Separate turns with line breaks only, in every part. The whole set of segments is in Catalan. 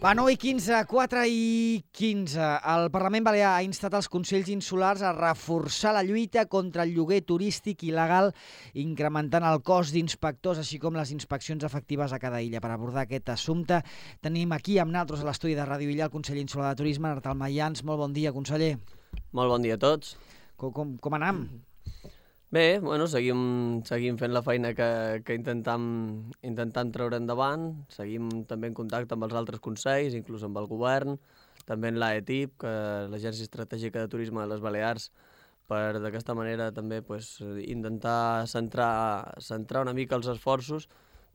Va, 9:15, 4:15. El Parlament Balear ha instat els Consells Insulars a reforçar la lluita contra el lloguer turístic il·legal, incrementant el cos d'inspectors, així com les inspeccions efectives a cada illa. Per abordar aquest assumpte tenim aquí amb nosaltres a l'estudi de Ràdio Illa el conseller insular de Turisme, Artal Mayans. Molt bon dia, conseller.
Molt bon dia a tots.
Com anam?
Bé, bueno, seguim fent la feina que intentam treure endavant. Seguim també en contacte amb els altres consells, inclús amb el govern, també en l'AETIP, que l'Agència Estratègica de Turisme de les Balears, per d'aquesta manera també intentar centrar una mica els esforços,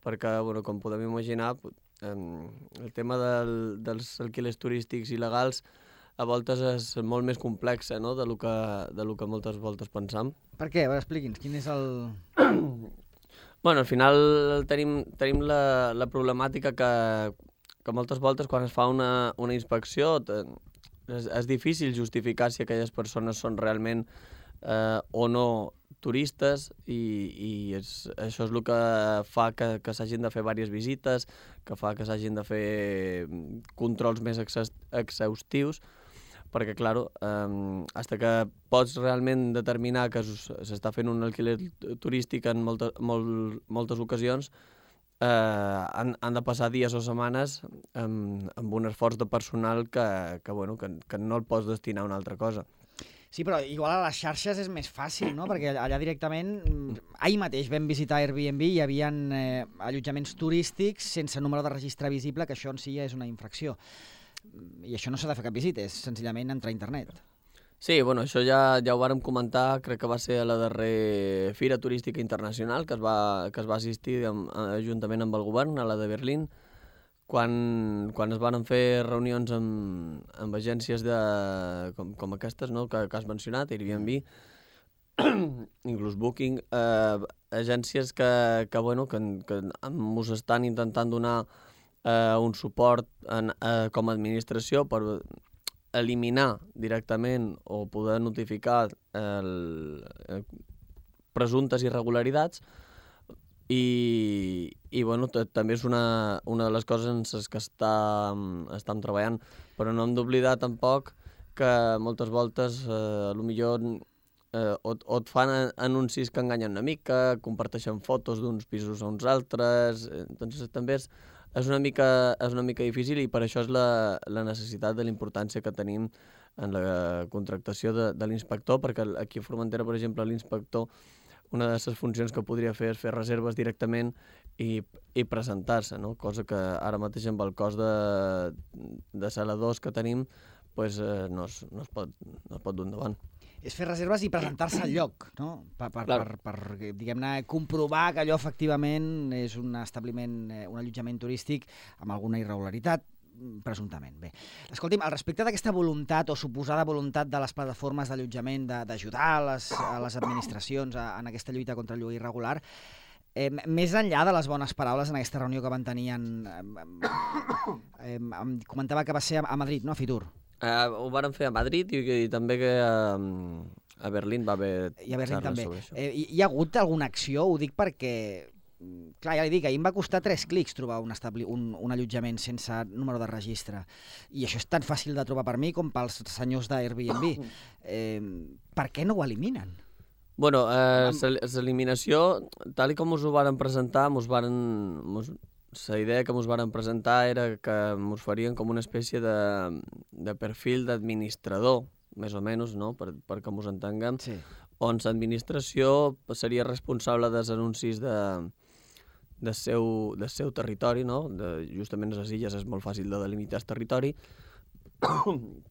perquè, bueno, com podem imaginar, el tema dels alquilers turístics il·legals a voltes és molt més complex, no?, de lo que moltes voltes pensam.
Per què? A veure, expliqui'ns, quin és el...
Bueno, al final tenim la problemàtica que moltes voltes quan es fa una inspecció és difícil justificar si aquelles persones són realment o no turistes i això és el que fa que s'hagin de fer diverses visites, que fa que s'hagin de fer controls més exhaustius, perquè, clar, fins que pots realment determinar que s'està fent un alquiler turístic en moltes ocasions, han de passar dies o setmanes amb un esforç de personal que no el pots destinar a una altra cosa.
Sí, però igual a les xarxes és més fàcil, no? Perquè allà directament, ahir mateix vam visitar Airbnb i hi havia allotjaments turístics sense número de registre visible, que això en si ja és una infracció. I això no s'ha de fer cap visita, és senzillament entrar a internet.
Sí, bueno, això ja ho vàrem comentar, crec que va ser a la darrera Fira Turística Internacional que es va assistir juntament amb el govern, a la de Berlín, quan es van fer reunions amb agències com aquestes, no?, que has mencionat, Airbnb, inclús Booking, agències que ens estan intentant donar un suport com a administració per eliminar directament o poder notificar presumptes irregularitats i també és una de les coses en les que estem treballant, però no hem d'oblidar tampoc que moltes voltes potser o et fan anuncis que enganyen una mica, comparteixen fotos d'uns pisos a uns altres, doncs també és una mica difícil i per això és la necessitat de la importància que tenim en la contractació de l'inspector, perquè aquí a Formentera, per exemple, l'inspector, una de les funcions que podria fer és fer reserves directament i presentar-se, no?, cosa que ara mateix amb el cost de saladors que tenim no es pot dur endavant.
És fer reserves i presentar-se al lloc, no? Per diguem-ne, comprovar que allò efectivament és un establiment, un allotjament turístic amb alguna irregularitat, presumptament. Bé, escolti'm, al respecte d'aquesta voluntat o suposada voluntat de les plataformes d'allotjament d'ajudar a les administracions en aquesta lluita contra el lloguer irregular, més enllà de les bones paraules en aquesta reunió que van tenir comentava que va ser a Madrid, no?, a Fitur.
Ho varen fer a Madrid i també que a Berlín va haver xarres sobre això.
Hi ha hagut alguna acció? Ho dic perquè, clar, ja li dic, ahir em va costar 3 clics trobar un allotjament sense número de registre. I això és tan fàcil de trobar per mi com pels senyors d'Airbnb. Per què no ho eliminen?
Bueno, l'eliminació, tal com us ho varen presentar, la idea que ens varen presentar era que ens farien com una espècie de perfil d'administrador, més o menys, no?, perquè ens entenguem, sí, on l'administració seria responsable dels anuncis del seu territori, no?, justament a les illes és molt fàcil de delimitar el territori,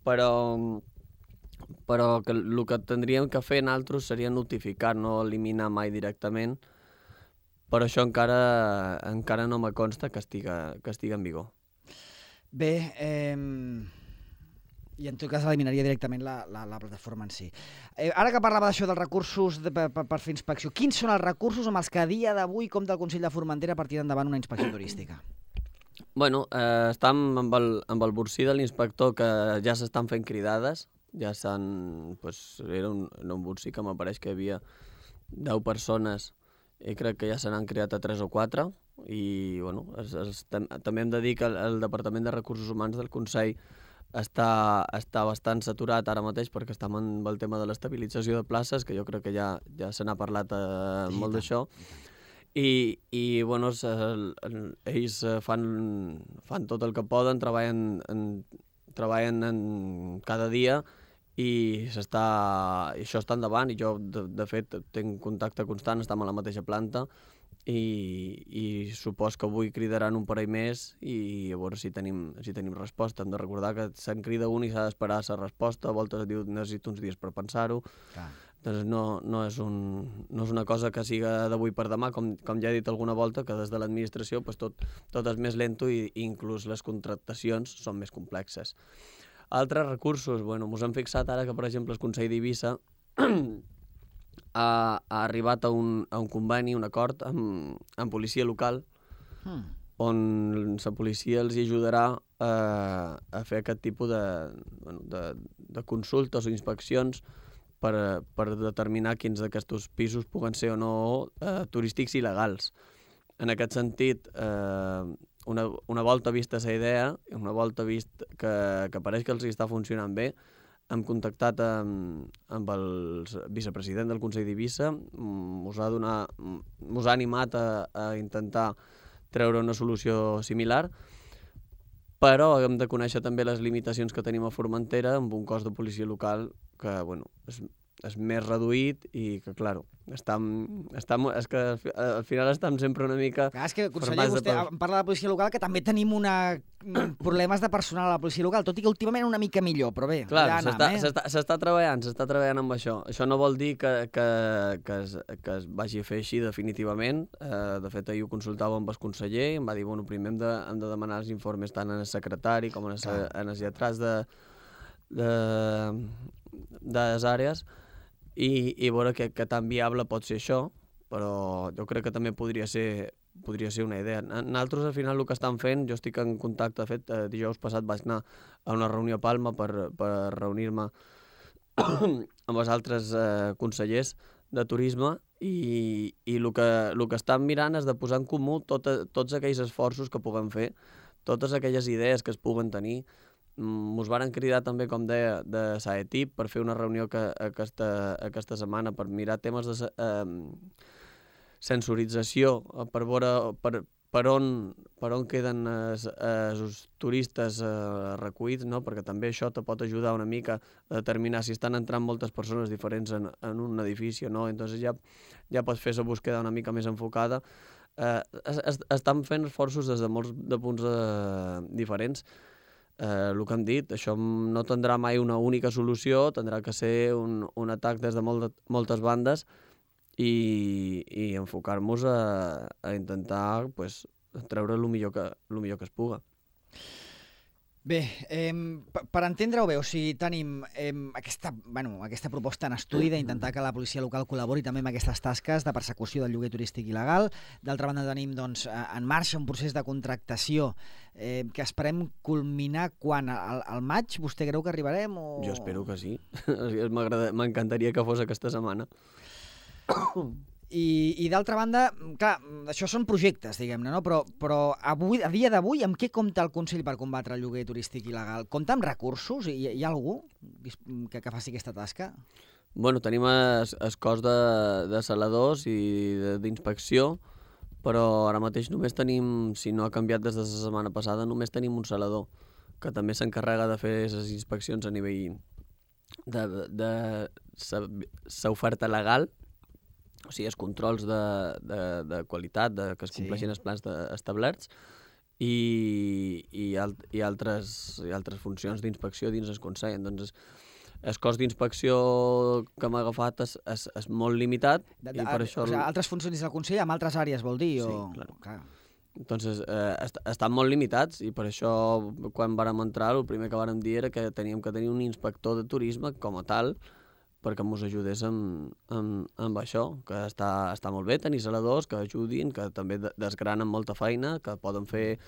però que el que tindríem que fer nosaltres seria notificar, no eliminar mai directament. Per això encara no me consta que estiga en vigor.
Bé, i en tot cas eliminaria directament la plataforma en si. Ara que parlava d'això dels recursos per fer inspecció, quins són els recursos amb els que a dia d'avui compta el Consell de Formentera per tirar endavant una inspecció turística?
Bueno, estem amb el borsí de l'inspector que ja s'estan fent cridades, ja era un borsí que m'apareix que hi havia 10 persones i crec que ja se n'han creat a 3 o 4, i bueno, també hem de dir que el Departament de Recursos Humans del Consell està bastant saturat ara mateix perquè estem amb el tema de l'estabilització de places, que jo crec que ja se n'ha parlat molt d'això. I bueno, ells fan tot el que poden, treballen cada dia i això està endavant, i jo de fet tinc contacte constant, estem a la mateixa planta i supos que avui cridaran un parell més i a veure si tenim resposta. Hem de recordar que se'n crida un i s'ha d'esperar la resposta, a voltes diu necessito uns dies per pensar-ho. Doncs no és una cosa que siga d'avui per demà, com ja he dit alguna volta, que des de l'administració tot és més lento i inclús les contractacions són més complexes. Altres recursos, bueno, ens hem fixat ara que, per exemple, el Consell d'Eivissa ha arribat a un conveni, un acord amb policia local, on la policia els ajudarà a fer aquest tipus de consultes o inspeccions per determinar quins d'aquests pisos puguen ser o no turístics il·legals. En aquest sentit, una volta vista la idea, una volta vist que pareix que els està funcionant bé, hem contactat amb el vicepresident del Consell d'Eivissa, us ha animat a intentar treure una solució similar, però hem de conèixer també les limitacions que tenim a Formentera amb un cos de policia local que, bueno, és més reduït i que, clar, és que al final estem sempre una mica...
És que, conseller, vostè parla de la policia local, que també tenim problemes de personal a la policia local, tot i que últimament una mica millor, però bé,
clar, s'està treballant amb això. Això no vol dir que es vagi a fer així definitivament. De fet, ahir ho consultava amb el conseller i em va dir, bueno, primer hem de demanar els informes tant en el secretari com en els lletrats de les àrees i veure que tan viable pot ser això, però jo crec que també podria ser una idea. Nosaltres, al final, el que estan fent, jo estic en contacte, de fet, dijous passat vaig anar a una reunió a Palma per reunir-me amb els altres consellers de turisme i el que estan mirant és de posar en comú tots aquells esforços que puguem fer, totes aquelles idees que es puguen tenir. Ens varen cridar també, com deia, de SAETIP per fer una reunió aquesta setmana per mirar temes de sensorització, per veure per on queden els turistes recollits, no? Perquè també això te pot ajudar una mica a determinar si estan entrant moltes persones diferents en un edifici o no. Entonces ja pots fer la búsqueda una mica més enfocada. Estan fent esforços des de molts punts diferents. El que hem dit, això no tindrà mai una única solució, tindrà que ser un atac des de moltes bandes i enfocar-nos a intentar treure el millor que es puga.
Bé, per entendre-ho bé, o sigui, tenim aquesta proposta en estudi d'intentar que la policia local col·labori també amb aquestes tasques de persecució del lloguer turístic il·legal. D'altra banda, tenim en marxa un procés de contractació que esperem culminar quan? Al maig? Vostè creu que arribarem?
Jo espero que sí. M'encantaria que fos aquesta setmana.
I d'altra banda, clar, això són projectes, diguem-ne, no? Però avui, a dia d'avui, amb què compta el Consell per combatre el lloguer turístic il·legal? Compta amb recursos? Hi ha algú que faci aquesta tasca?
Bueno, tenim el cos de saladors i d'inspecció, però ara mateix només tenim, si no ha canviat des de la setmana passada, només tenim un salador, que també s'encarrega de fer les inspeccions a nivell de l'oferta legal, o sigui, els controls de qualitat, que es compleixin els plans establerts, i altres funcions d'inspecció dins el Consell. Doncs el cos d'inspecció que m'ha agafat és molt limitat. I per això...
Altres funcions del Consell amb altres àrees, vol dir?
Sí, clar. Entonces, estan molt limitats i per això, quan vàrem entrar, el primer que vàrem dir era que teníem que tenir un inspector de turisme com a tal, perquè ens ajudés amb això, que està molt bé tenir saladors que ajudin, que també desgranen molta feina, que poden fer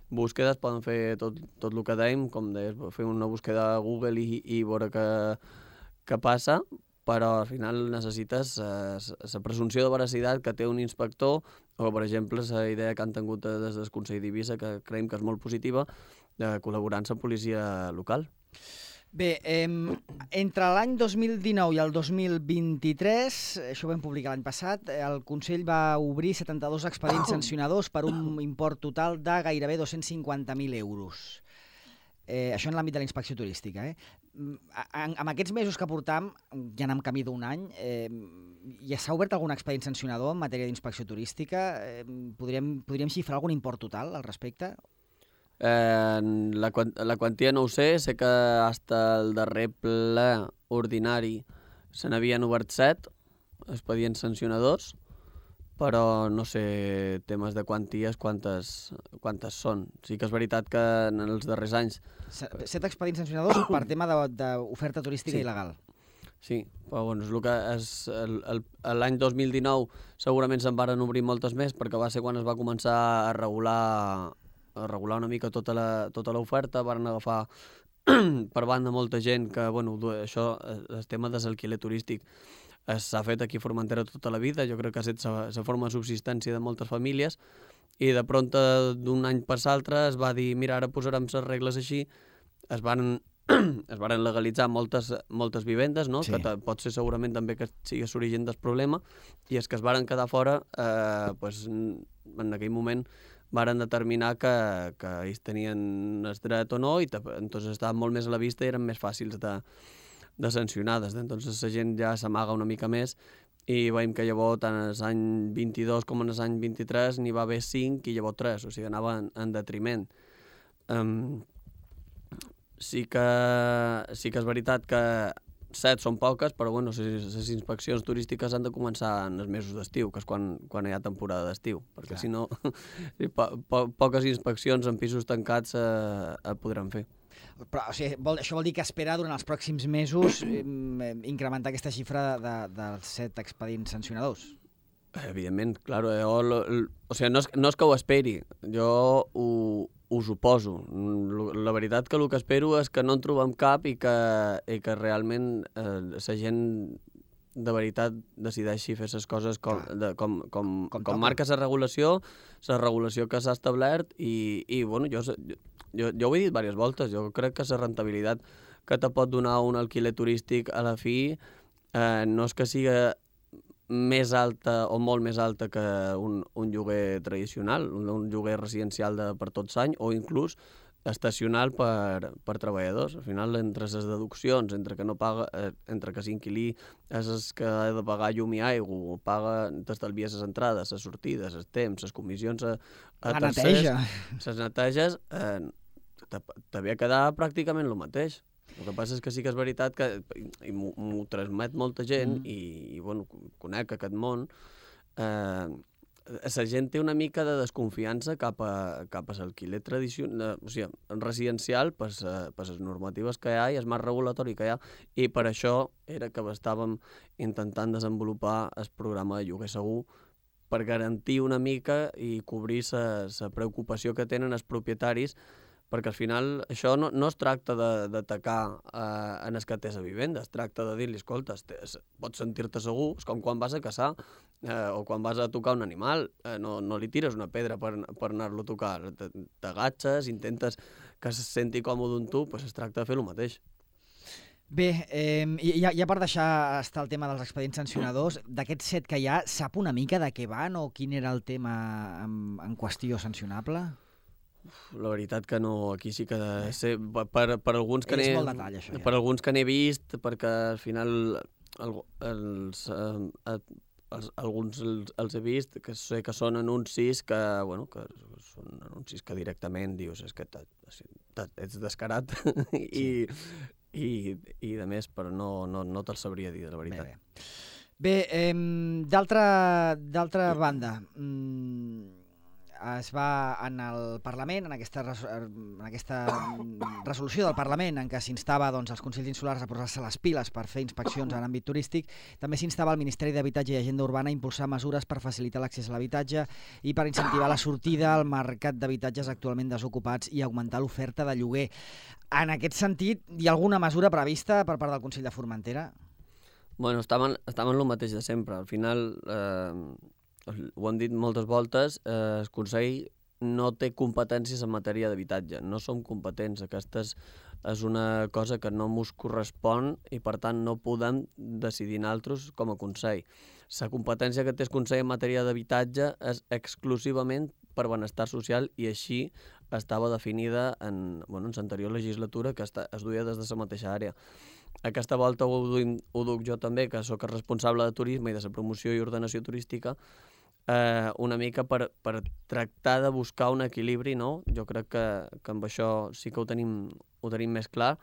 búsquedes, poden fer tot el que dèiem, com deies, fer una búsqueda a Google i veure què passa, però al final necessites la presumpció de veracitat que té un inspector, o per exemple la idea que han tingut des del Consell d'Eivissa, que creiem que és molt positiva, de col·laborar amb la policia local.
Bé, entre l'any 2019 i el 2023, això ho vam publicar l'any passat, el Consell va obrir 72 expedients sancionadors per un import total de gairebé 250.000 euros. Això en l'àmbit de la inspecció turística. En aquests mesos que portam, ja anem camí d'un any, ja s'ha obert algun expedient sancionador en matèria d'inspecció turística? Podríem xifrar algun import total al respecte?
La quantia no ho sé que fins el darrer ple ordinari se n'havien obert 7 expedients sancionadors, però no sé temes de quanties quantes són. Sí que és veritat que en els darrers anys...
7 expedients sancionadors per tema d'oferta turística il·legal.
Sí, però bueno, és el que l'any 2019 segurament se'n varen obrir moltes més, perquè va ser quan es va començar a regular una mica tota l'oferta, van agafar per banda molta gent que, bueno, això, el tema de l'alquiler turístic s'ha fet aquí a Formentera tota la vida, jo crec que ha estat la forma de subsistència de moltes famílies, i de pronto d'un any per l'altre es va dir, mira, ara posarem les regles així, es van legalitzar moltes vivendes, no? Sí. Que pot ser segurament també que sigui l'origen del problema, i els que es varen quedar fora, en aquell moment varen determinar que ells tenien el dret o no, i entonces estaven molt més a la vista i eren més fàcils de sancionades. Entonces la gent ja s'amaga una mica més, i veiem que llavors tant l'any 22 com l'any 23 n'hi va haver 5 i llavors 3, o sigui, anava en detriment. Sí que és veritat que 7 són poques, però bueno, les inspeccions turístiques han de començar en els mesos d'estiu, que és quan hi ha temporada d'estiu, perquè si no, poques inspeccions en pisos tancats podran fer.
Però, o sigui, això vol dir que espera durant els pròxims mesos incrementar aquesta xifra dels 7 expedients sancionadors?
Evidentment, clar. O sigui, no és que ho esperi, jo ho suposo. La veritat que el que espero és que no en trobem cap i que realment la gent de veritat decideixi fer les coses com marca la regulació que s'ha establert, i bueno, jo ho he dit diverses voltes, jo crec que la rendibilitat que te pot donar un alquiler turístic a la fi no és que siga més alta o molt més alta que un lloguer tradicional, un lloguer residencial per tots l'any, o inclús estacional per treballadors. Al final, entre les deduccions, entre que l'inquilí és el que ha de pagar llum i aigua, t'estalvies les entrades, les sortides, els temps, les comissions a tercers, les neteges, t'havia de quedar pràcticament el mateix. El que passa és que sí que és veritat que m'ho transmet molta gent, i bueno, conec aquest món. La gent té una mica de desconfiança cap a l'alquiler tradicional, o sigui, residencial, per les normatives que hi ha i el marc regulatori que hi ha, i per això era que estàvem intentant desenvolupar el programa de lloguer segur, per garantir una mica i cobrir la preocupació que tenen els propietaris, perquè al final això no es tracta d'atacar en el que té la vivenda, es tracta de dir-li, escolta, pots sentir-te segur, és com quan vas a caçar o quan vas a tocar un animal, no li tires una pedra per anar-lo a tocar, t'agatxes, intentes que se senti còmode amb tu, doncs es tracta de fer el mateix.
Bé, ja per deixar estar el tema dels expedients sancionadors, d'aquests 7 que hi ha, sap una mica de què van o quin era el tema en qüestió sancionable?
La veritat que no, aquí sí que sé, per alguns que
és molt detall, això, ja.
Per alguns que n'he vist, perquè al final alguns els he vist, que sé que són anuncis que són anuncis que directament dius, és que ets descarat i de més, però no te'l sabria dir, la veritat.
Bé, d'altra banda, es va en el Parlament, en aquesta resolució del Parlament en què s'instava als Consells Insulars a posar-se les piles per fer inspeccions en àmbit turístic, també s'instava al Ministeri d'Habitatge i Agenda Urbana a impulsar mesures per facilitar l'accés a l'habitatge i per incentivar la sortida al mercat d'habitatges actualment desocupats i augmentar l'oferta de lloguer. En aquest sentit, hi ha alguna mesura prevista per part del Consell de Formentera?
Bueno, estàvem el mateix de sempre. Al final, ho hem dit moltes voltes, el Consell no té competències en matèria d'habitatge. No som competents. Aquesta és una cosa que no mos correspon i, per tant, no podem decidir nosaltres com a Consell. La competència que té el Consell en matèria d'habitatge és exclusivament per benestar social i així estava definida en l'anterior legislatura, que es duia des de la mateixa àrea. Aquesta volta ho duc jo també, que sóc el responsable de turisme i de la promoció i ordenació turística, una mica per tractar de buscar un equilibri, no? Jo crec que amb això sí que ho tenim més clar,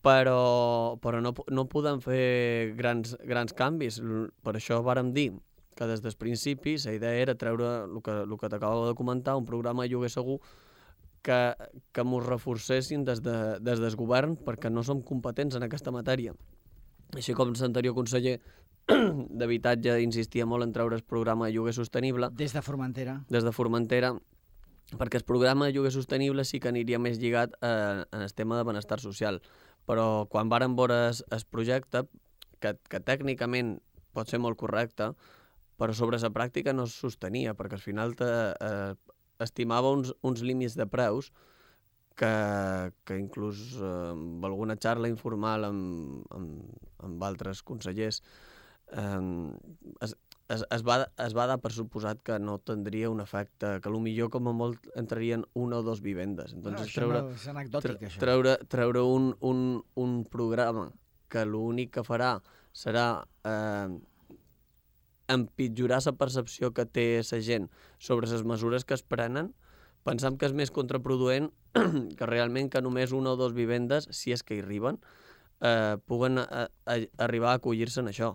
però no podem fer grans canvis. Per això vàrem dir que des del principi la idea era treure el que t'acabo de comentar, un programa de lloguer segur que ens reforcessin des del govern, perquè no som competents en aquesta matèria. Així com l'anterior conseller d'Habitatge insistia molt en treure el programa de lloguer sostenible.
Des de Formentera.
Des de Formentera, perquè el programa de lloguer sostenible sí que aniria més lligat en el tema de benestar social. Però quan vàrem veure el projecte, que tècnicament pot ser molt correcte, però sobre la pràctica no es sostenia, perquè al final estimava uns límits de preus que inclús amb alguna xarra informal amb altres consellers es va dar per suposat que no tindria un efecte, que potser com a molt entrarien una o dues vivendes. Entonces,
és anecdòtic, això.
Treure un programa que l'únic que farà serà empitjorar la percepció que té la gent sobre les mesures que es prenen, pensam que és més contraproduent que realment que només una o dues vivendes, si és que hi arriben, puguen arribar a acollir-se en això.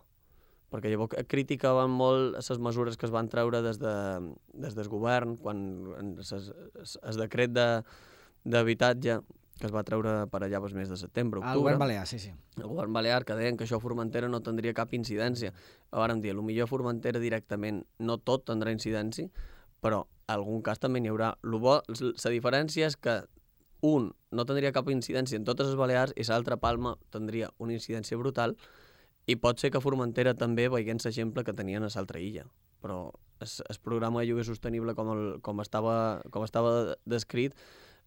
Perquè llavors criticaven molt les mesures que es van treure des del govern, quan el decret d'habitatge que es va treure per allà els mesos de setembre, octubre.
El govern balear, sí.
El govern balear, que deien que això a Formentera no tindria cap incidència. Vàrem dir, potser a Formentera directament no tot tindrà incidència, però en algun cas també n'hi haurà. La diferència és que un no tindria cap incidència en totes les Balears i l'altra, Palma, tindria una incidència brutal i pot ser que a Formentera també veient l'exemple que tenien a l'altra illa. Però el programa de lloguer sostenible com estava descrit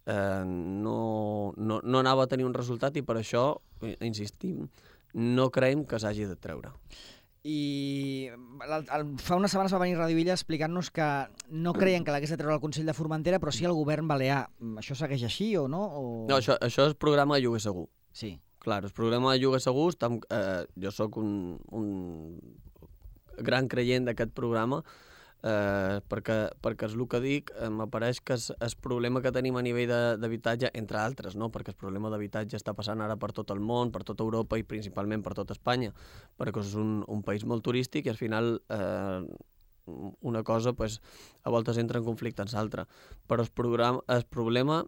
no anava a tenir un resultat i per això, insistim, no creiem que s'hagi de treure.
I fa unes setmanes va venir Radio Illa explicant-nos que no creien que l'hagués de treure el Consell de Formentera, però sí el govern balear. Això segueix així o no?
No, això és programa de lloguer segur.
Sí.
Clar, el programa de lloguer segur, jo sóc un gran creient d'aquest programa, perquè és el que dic, m'apareix que el problema que tenim a nivell d'habitatge, entre altres, no? Perquè el problema d'habitatge està passant ara per tot el món, per tota Europa i principalment per tota Espanya, perquè és un país molt turístic i al final una cosa a voltes entra en conflicte amb l'altra. Però el problema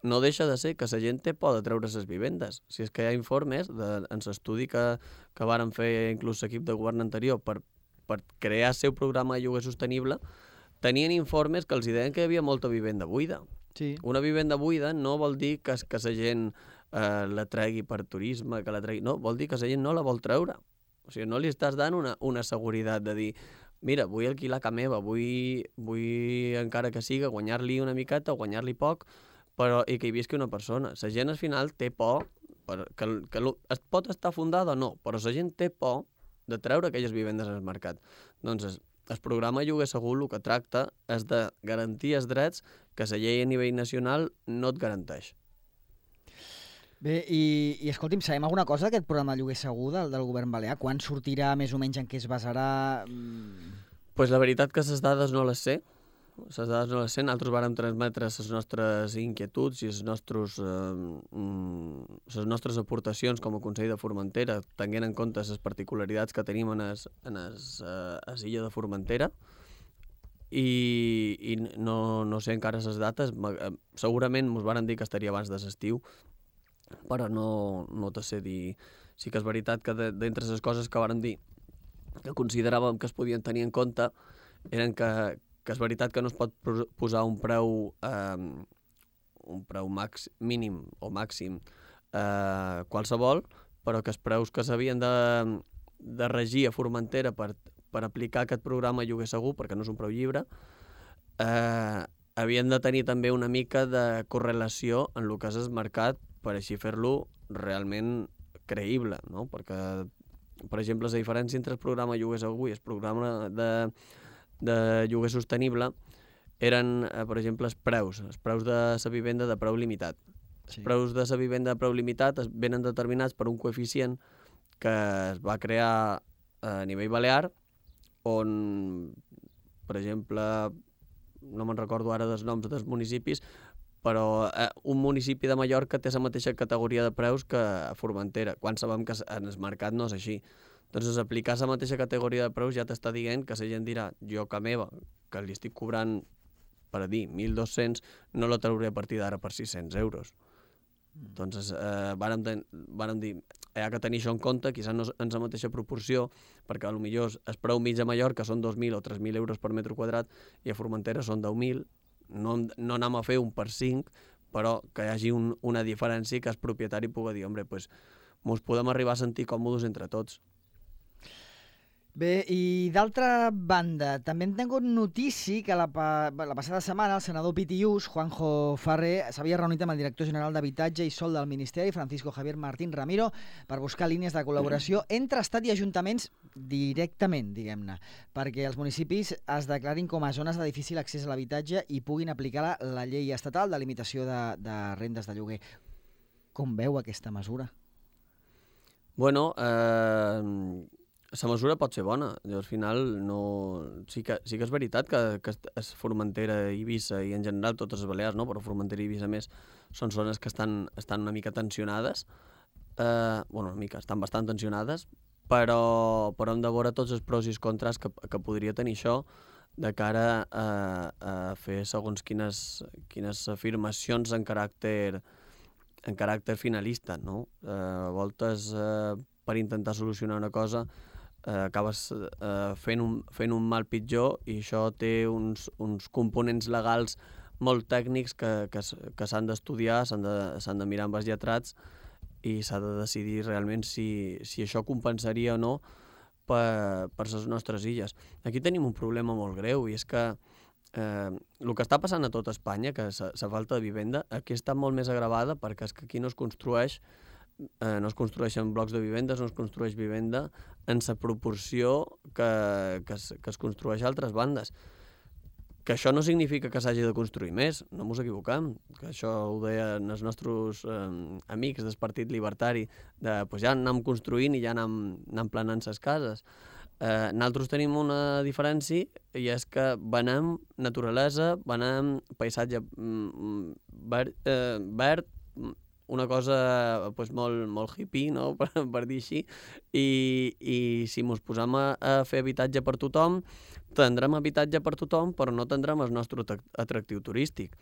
no deixa de ser que la gent té por de treure les vivendes. Si és que hi ha informes en l'estudi que varen fer inclús l'equip de govern anterior per crear el seu programa de lloguer sostenible, tenien informes que els deien que hi havia molta vivenda buida.
Sí.
Una vivenda buida no vol dir que la gent la tregui per turisme, que la tregui... No, vol dir que la gent no la vol treure. O sigui, no li estàs dant una seguretat de dir mira, vull alquilar a casa meva, vull encara que siga guanyar-li una miqueta o guanyar-li poc, però i que hi visqui una persona. La gent al final té por, que es pot estar fundada o no, però la gent té por de treure aquelles vivendes al mercat. Doncs el programa Lloguer Segur el que tracta és de garantir els drets que la llei a nivell nacional no et garanteix.
Bé, i escolti'm, sabem alguna cosa d'aquest programa de Lloguer Segur del govern balear? Quan sortirà, més o menys, en què es basarà?
Pues la veritat que les dades no les sé. Nosaltres vàrem transmetre les nostres inquietuds i les nostres aportacions com a Consell de Formentera, tenint en compte les particularitats que tenim en l'illa de Formentera, i no sé encara les dates. Segurament ens varen dir que estaria abans de l'estiu, però no te sé dir. Sí que és veritat que d'entre les coses que varen dir que consideràvem que es podien tenir en compte eren que és veritat que no es pot posar un preu mínim o màxim qualsevol, però que els preus que s'havien de regir a Formentera per aplicar aquest programa Lloguer Segur, perquè no és un preu lliure, havien de tenir també una mica de correlació en el que és el mercat per així fer-lo realment creïble, no? Perquè, per exemple, la diferència entre el programa Lloguer Segur i el programa de lloguer sostenible eren, per exemple, els preus de la vivenda de preu limitat. Els preus de la vivenda de preu limitat venen determinats per un coeficient que es va crear a nivell balear, on, per exemple, no me'n recordo ara dels noms dels municipis, però un municipi de Mallorca té la mateixa categoria de preus que a Formentera, quan sabem que en el mercat no és així. Doncs aplicar la mateixa categoria de preus ja t'està dient que la gent dirà, jo que meva, que li estic cobrant, per a dir, 1.200, no la trauré a partir d'ara per 600 euros. Doncs vàrem dir, hi ha que tenir això en compte, quizás no en la mateixa proporció, perquè potser el preu mig a Mallorca són 2.000 o 3.000 euros per metre quadrat i a Formentera són 10.000, no anem a fer un per 5, però que hi hagi una diferència que el propietari pugui dir, home, doncs mos podem arribar a sentir còmodes entre tots.
Bé, i d'altra banda, també hem tingut notícia que la passada setmana el senador Pitiús, Juanjo Ferrer, s'havia reunit amb el director general d'Habitatge i Sòl del Ministeri, Francisco Javier Martín Ramiro, per buscar línies de col·laboració entre Estat i ajuntaments directament, diguem-ne, perquè els municipis es declarin com a zones de difícil accés a l'habitatge i puguin aplicar la llei estatal de limitació de rendes de lloguer. Com veu aquesta mesura?
Bueno, la mesura pot ser bona. Al final sí que és veritat que es Formentera, Eivissa i en general totes les Balears, no? Però Formentera i Eivissa més són zones que estan una mica tensionades. Estan bastant tensionades, però hem de veure tots els pros i els contres que podria tenir això de cara a fer segons quines afirmacions en caràcter finalista, no? A voltes, per intentar solucionar una cosa, acabes fent un mal pitjor, i això té uns components legals molt tècnics que s'han d'estudiar, s'han de mirar amb els lletrats, i s'ha de decidir realment si això compensaria o no per les nostres illes. Aquí tenim un problema molt greu, i és que el que està passant a tot Espanya, que la falta de vivenda, aquí està molt més agravada perquè és que aquí no es construeixen blocs de vivendes, no es construeix vivenda en la proporció que es construeix a altres bandes. Que això no significa que s'hagi de construir més, no ens equivoquem, que això ho deien els nostres amics del Partit Libertari, pues ja anem construint i ja anem planant les cases. Nosaltres tenim una diferència, i és que venem naturalesa, venem paisatge verd, una cosa pues, molt hippie, no? per dir així, i si ens posem a fer habitatge per tothom, tindrem habitatge per tothom, però no tindrem el nostre atractiu turístic.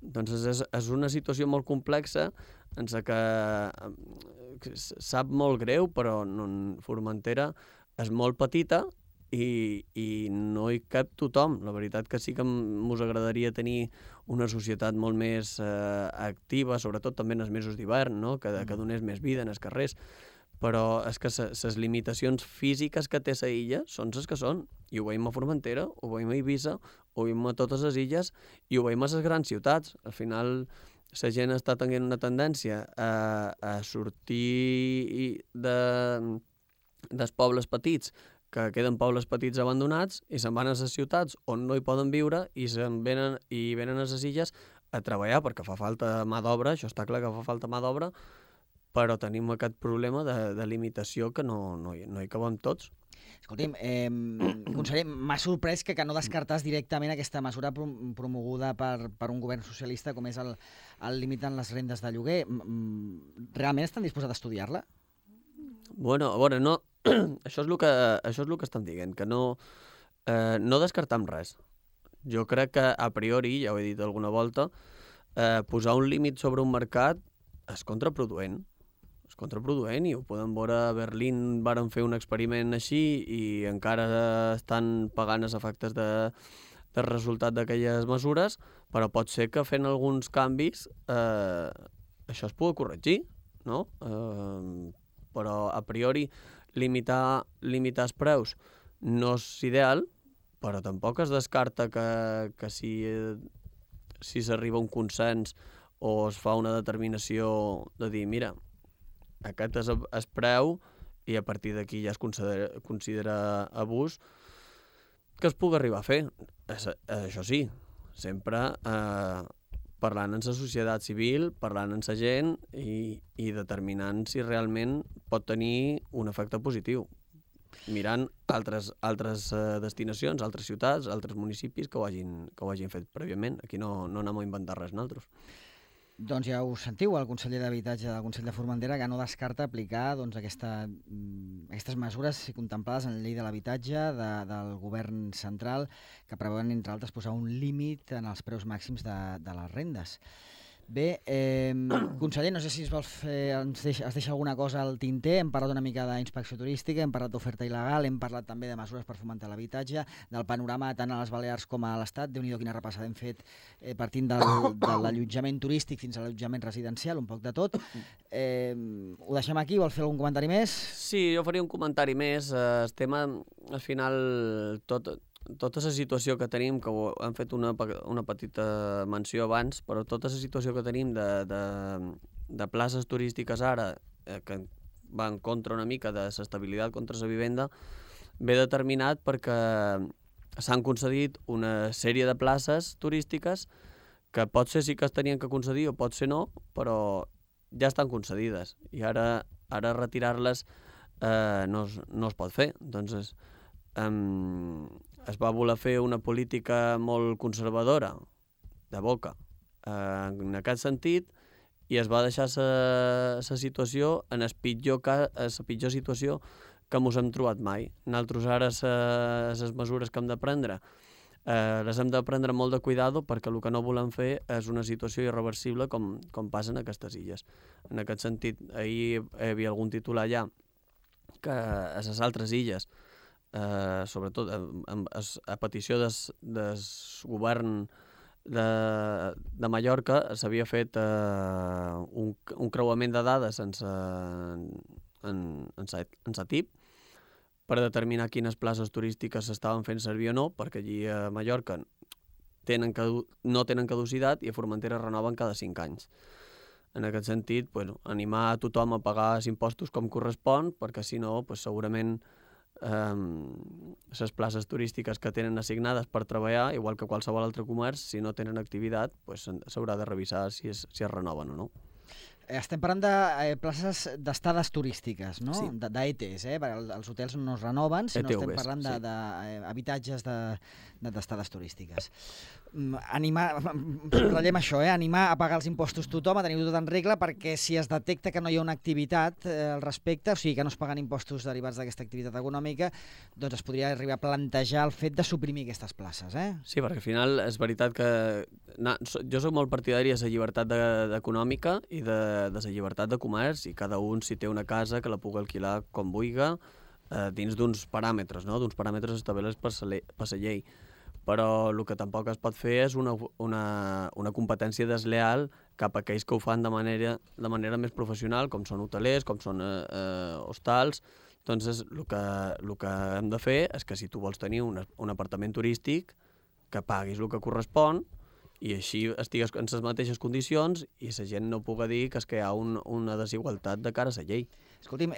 Doncs és una situació molt complexa, en la que sap molt greu, però Formentera és molt petita i no hi cap tothom. La veritat que sí que ens agradaria tenir una societat molt més activa, sobretot també en els mesos d'hivern, no? que donés més vida en els carrers. Però és que les limitacions físiques que té la illa són les que són. I ho veiem a Formentera, ho veiem a Eivissa, ho veiem a totes les illes, i ho veiem a les grans ciutats. Al final, la gent està tenint una tendència a sortir dels pobles petits, que queden pobles petits abandonats, i se'n van a les ciutats on no hi poden viure, i venen a les illes a treballar, perquè fa falta mà d'obra, això està clar que fa falta mà d'obra, però tenim aquest problema de limitació que no hi cabem tots.
Escolti'm, conseller, m'ha sorprès que no descartàs directament aquesta mesura promoguda per un govern socialista com és el límit en les rendes de lloguer. Realment estan disposats a estudiar-la?
Bueno, a veure, no... això és el que estan dient, que no descartam res. Jo crec que, a priori, ja ho he dit alguna volta, posar un límit sobre un mercat és contraproduent. És contraproduent, i ho podem veure a Berlín. Varen fer un experiment així i encara estan pagant els efectes del resultat d'aquelles mesures, però pot ser que fent alguns canvis això es pugui corregir, no? però a priori limitar els preus no és ideal, però tampoc es descarta que si s'arriba a un consens o es fa una determinació de dir, mira, aquest és el preu i a partir d'aquí ja es considera abús, que es pugui arribar a fer. Això sí, sempre parlant amb la societat civil, parlant amb la gent i determinant si realment pot tenir un efecte positiu, mirant altres destinacions, altres ciutats, altres municipis que ho hagin fet prèviament. Aquí no anem a inventar res nosaltres.
Doncs ja ho sentiu, el conseller d'Habitatge del Consell de Formentera, que no descarta aplicar aquestes mesures contemplades en la llei de l'habitatge del govern central, que preveuen, entre altres, posar un límit en els preus màxims de les rendes. Bé, conseller, no sé si es deixa alguna cosa al tinter. Hem parlat una mica d'inspecció turística, hem parlat d'oferta il·legal, hem parlat també de mesures per fomentar l'habitatge, del panorama tant a les Balears com a l'Estat. Déu-n'hi-do quina repassada hem fet partint de l'allotjament turístic fins a l'allotjament residencial, un poc de tot. Ho deixem aquí, vol fer algun comentari més?
Sí, jo faria un comentari més. El tema, al final, tota la situació que tenim, que hem fet una petita menció abans, però tota la situació que tenim de places turístiques ara, que va en contra una mica de l'estabilitat contra la vivenda, ve determinat perquè s'han concedit una sèrie de places turístiques que potser sí que es tenien que concedir o potser no, però ja estan concedides i ara retirar-les no es pot fer. Doncs es va voler fer una política molt conservadora, de boca, en aquest sentit, i es va deixar la situació en la pitjor situació que ens hem trobat mai. Nosaltres ara les mesures que hem de prendre les hem de prendre molt de cuidado perquè el que no volem fer és una situació irreversible com passa en aquestes illes. En aquest sentit, ahir hi havia algun titular ja que a les altres illes, sobretot a petició del govern de Mallorca, s'havia fet un creuament de dades en Satip per determinar quines places turístiques s'estaven fent servir o no, perquè allí a Mallorca no tenen caducitat i a Formentera renoven cada 5 anys. En aquest sentit, animar a tothom a pagar els impostos com correspon, perquè si no, segurament les places turístiques que tenen assignades per treballar, igual que qualsevol altre comerç, si no tenen activitat, s'haurà de revisar si es renoven o no.
Estem parlant de places d'estades turístiques, no?
Sí.
D'ETs, Els hotels no es renoven, sinó
ETVs,
estem parlant d'habitatges d'estades turístiques. Ratllem això, animar a pagar els impostos tothom, a tenir-ho tot en regla, perquè si es detecta que no hi ha una activitat al respecte, o sigui que no es paguen impostos derivats d'aquesta activitat econòmica, doncs es podria arribar a plantejar el fet de suprimir aquestes places,
Sí, perquè al final és veritat que jo soc molt partidari de la llibertat econòmica i de la llibertat de comerç, i cada un, si té una casa, que la pugui alquilar com vulgui, dins d'uns paràmetres, no? D'uns paràmetres establerts per la llei. Però el que tampoc es pot fer és una competència desleal cap a aquells que ho fan de manera més professional, com són hotelers, com són hostals. Doncs el que hem de fer és que si tu vols tenir un apartament turístic, que paguis el que correspon, i així estigues en les mateixes condicions i la gent no pugui dir que hi ha una desigualtat de cara a la llei.
Escolti'm,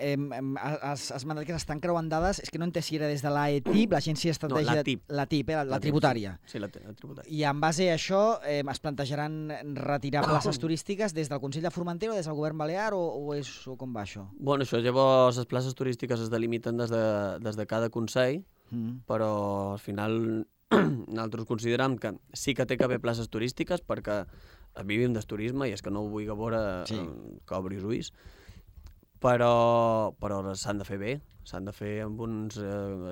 has mandat que s'estan creuant dades, és que no entenc si era des de l'AETIP, l'Agència Estratègica...
No,
l'ATIP, la tributària.
Sí, la tributària.
I en base a això es plantejaran retirar places turístiques des del Consell de Formentera o des del Govern Balear o com va això?
Bueno, això llavors les places turístiques es delimiten des de cada consell, però al final nosaltres considerem que sí que té que haver places turístiques perquè vivim del turisme i és que no ho vull veure que obri els ulls, però s'han de fer bé, s'han de fer amb uns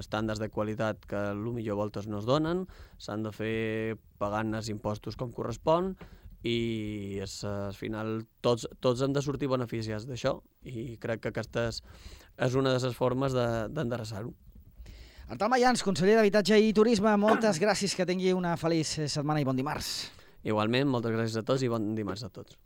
estàndards de qualitat que potser voltes no es donen, s'han de fer pagant els impostos com correspon i al final tots hem de sortir beneficiats d'això i crec que aquesta és una de les formes d'endreçar-ho.
Artal Mayans, conseller d'Habitatge i Turisme, moltes gràcies, que tingui una feliç setmana i bon dimarts.
Igualment, moltes gràcies a tots i bon dimarts a tots.